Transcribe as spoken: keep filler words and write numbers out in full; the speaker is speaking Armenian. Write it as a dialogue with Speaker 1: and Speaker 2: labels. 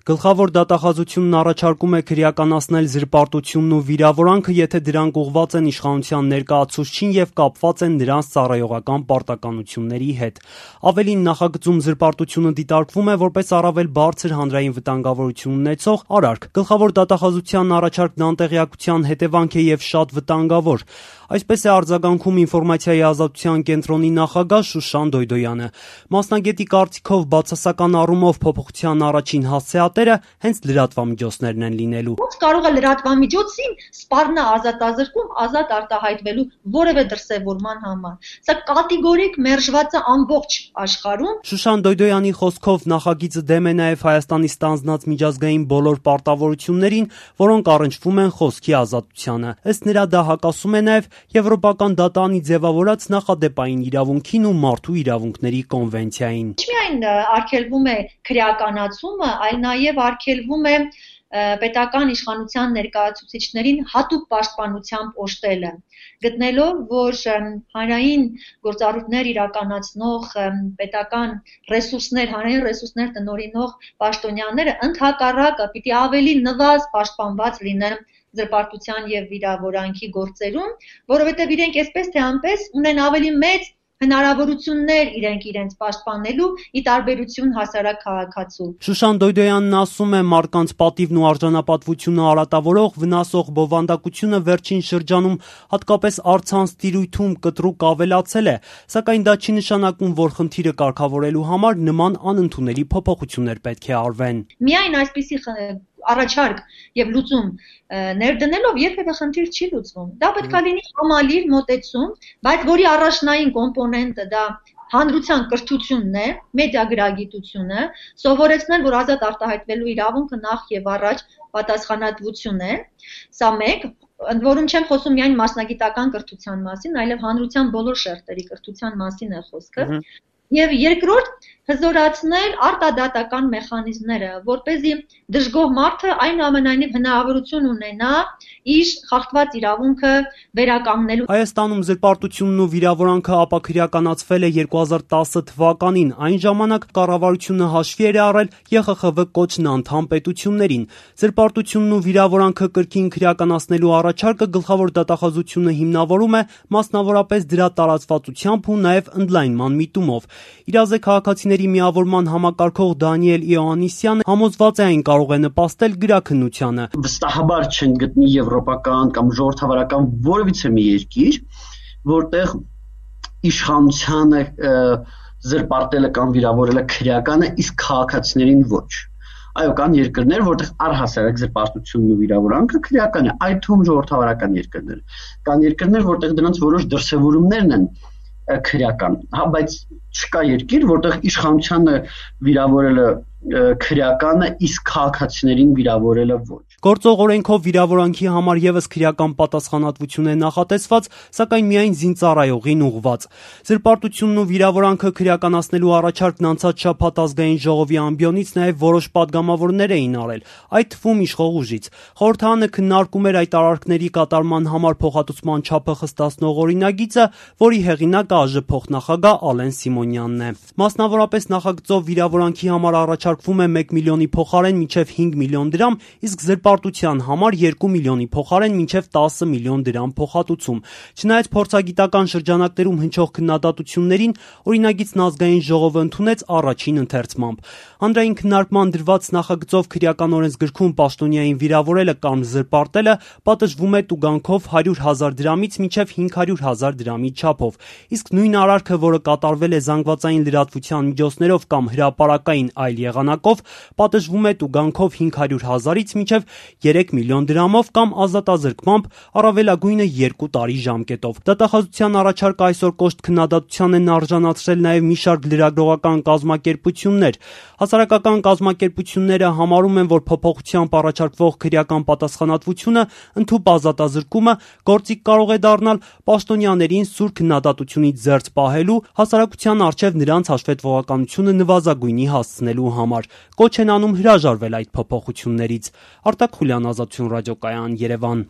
Speaker 1: Գլխավոր դատախազությունն առաջարկում է քրեականացնել զրպարտությունն ու վիրավորանքը, եթե դրանք ուղղված են իշխանության ներկայացուցչին եւ կապված են նրանց ծառայողական պարտականությունների հետ։ Ավելին, նախագծում զրպարտությունը դիտարկվում է որպես առավել բարձր հանրային վտանգավորություն ունեցող արարք։ Գլխավոր դատախազության առաջարկն անտեղյակության հետևանք է եւ շատ վտանգավոր։ Այսպես է արձագանքում ինֆորմացիայի ազատության կենտրոնի նախագահ Շուշան Դոյդոյանը։ Մասնագետի կարծիքով բացասական առումով փոփոխության առաջին հասցեատերը հենց լրատվամիջոցներն են լինելու։
Speaker 2: Ոնց կարող է լրատվամիջոցին սպառնա ազատազրկում ազատ արտահայտվելու որևէ դրսևորման համար։ Սա կատեգորիկ մերժված է ամբողջ աշխարհում։
Speaker 1: Շուշան Դոյդոյանի խոսքով նախագիծը դեմ է նաև Հայաստանի ստանձնած միջազգային բոլոր պարտավորություններին, որոնք առնչվում են խոսքի ազատությանը։ Ըստ նրա, դա հակասում է նաև Եվրոպական դատարանի ձևավորած նախադեպային իրավունքին ու մարդու իրավունքների կոնվենցիային։
Speaker 2: Ոչ միայն արգելվում է քրեականացումը, այլ նաև արգելվում է պետական իշխանության ներկայացուցիչներին հատուկ պաշտպանությամբ օժտելը, գտնելով, որ հանրային գործառույթներ իրականացնող պետական ռեսուրսներ, հանրային ռեսուրսներ տնօրինող պաշտոնյաները ընդհակառակը պիտի ավելի նվազ պաշտպանված լինեն զրպարտության եւ վիրավորանքի գործերում, որովհետեւ իրենք այսպես թե այնպես ունեն ավելի մեծ հնարավորություններ իրենք իրենց պաշտպանելու ի տարբերություն հասարակ քաղաքացու։
Speaker 1: Շուշան Դոյդոյանն ասում է, մարդկանց պատիվն ու արժանապատվությունը արատավորող վնասող բովանդակությունը վերջին շրջանում հատկապես առցանց տիրույթում կտրուկ ավելացել է, սակայն դա չի նշանակում, որ խնդիրը կարգավորելու համար նման անընդունելի փոփոխություններ պետք է արվեն։
Speaker 2: Միայն այսպիսի առաջարկ եւ լուծում ներդնելով երբևէ խնդիր չի լուծվում։ Դա պետք է լինի համալիր մոտեցում, բայց որի առաջնային կոմպոնենտը դա հանրության կրթությունն է, մեդիագրագիտությունը, սովորեցնել, որ ազատ արտահայտվելու իրավունքը նախ եւ առաջ պատասխանատվություն է։ Սա մեկ, ընդ որում չեմ խոսում միայն մասնագիտական կրթության մասին, այլև հանրության բոլոր շերտերի կրթության մասին է խոսքը։ Եվ երկրորդ, հզորացնել արտադատական մեխանիզմները, որպեսզի դժգոհ մարդը այնուամենայնիվ հնարավորություն ունենա իր խախտված իրավունքը վերականգնելու։
Speaker 1: Հայաստանում զրպարտությունն ու վիրավորանքը ապաքրեականացվել է երկու հազար տասը թվականին, այն ժամանակ կառավարությունը հաշվի էր առել Ե Խ Խ V կոչն անդամ պետություններին։ Զրպարտությունն ու վիրավորանքը կրկին քրեականացնելու առաջարկը գլխավոր դատախազությունը հիմնավորում է մասնավորապես դրա տարածվածությամբ ու նաև ընդլայնման միտումով։ Իրազե քաղաքացիների միավորման համակարգող Դանիել Իոաննիսյանը համոզված է, այն կարող է նպաստել գրաքննությանը։
Speaker 3: Վստահաբար չեն գտնի եվրոպական կամ ժողովրդավարական որևիցե մի երկիր, որտեղ իշխանությանը զրպարտելը կամ վիրավորելը քրեական է, իսկ քաղաքացիներին ոչ։ Այո, կան երկրներ, որտեղ առհասարակ զրպարտությունն ու վիրավորանքը քրեական է, այդ թվում ժողովրդավարական երկրներ։ Կան երկրներ, որտեղ դրանց որոշ դրսևորումներն են քրեական, հա, բայց չկա երկիր, որտեղ իշխանությանը վիրավորելը քրեական է, իսկ քաղաքացիներին վիրավորելը ոչ։
Speaker 1: Գործող օրենքով վիրավորանքի համար եւս քրեական պատասխանատվություն է նախատեսված, սակայն միայն զինծառայողին ուղղված։ Զրպարտությունն ու վիրավորանքը քրեականացնելու առաջարկն անցած շաբաթ ազգային ժողովի ամբիոնից նաեւ որոշ падգամավորներ էին արել, այդ թվում իշխող ուժից։ Խորհրդարանը քննարկում էր այդ արարքների կատարման համար փոխհատուցման չափը խստացնող օրինագիծը, որի հեղինակը ԱԺ փոխնախագահ Ալեն Սիմոնյանն է։ Մասնավորապես նախագծով վիրավորանքի համար առաջարկվում է մեկ միլիոնի փոխարեն մինչև հինգ միլիոն դրամ, իսկ զրպարտության համար երկու միլիոնի փոխարեն մինչև տասը միլիոն դրամ փոխհատուցում։ Չնայած փորձագիտական շրջանակներում հնչող քննադատություններին, օրինագիծն ազգային ժողովը ընդունեց առաջին ընթերցմամբ։ Հանրային քննարկման դրված նախագծով քրեական օրենսգրքում պաշտոնյային վիրավորելը կամ զրպարտելը պատժվում է տուգանքով հարյուր հազար դրամից մինչև հինգ հարյուր հազար դրամի չափով, իսկ նույն արարքը, որը կատարվել է զանգվածային լրատվության միջոցներով կամ հրապարակային այլ եղանակով, պատժվում է տուգանքով հինգ հարյուր հազարից մինչև երեք միլիոն դրամով կամ ազատազրկմամբ առավելագույնը երկու տարի ժամկետով։ Դատախազության առաջարկը այսօր կոշտ քննադատության են արժանացրել նաև մի շարք լրագրողական կազմակերպություններ։ Հասարակական կազմակերպությունները համարում են, որ փոփոխությամբ առաջարկվող քրեական պատասխանատվությունը ընդհուպ ազատազրկումը գործիք կարող է դառնալ պաշտոնյաներին սուր քննադատությունից զերծ պահելու, հասարակության առջև նրանց հաշվետվողականությունը նվազագույնի հասցնելու համար։ Կոչ են անում հրաժարվել այդ փոփոխություններից։ Արտակ Խուլյան, Ազատություն ռադիոկայան, Երևան։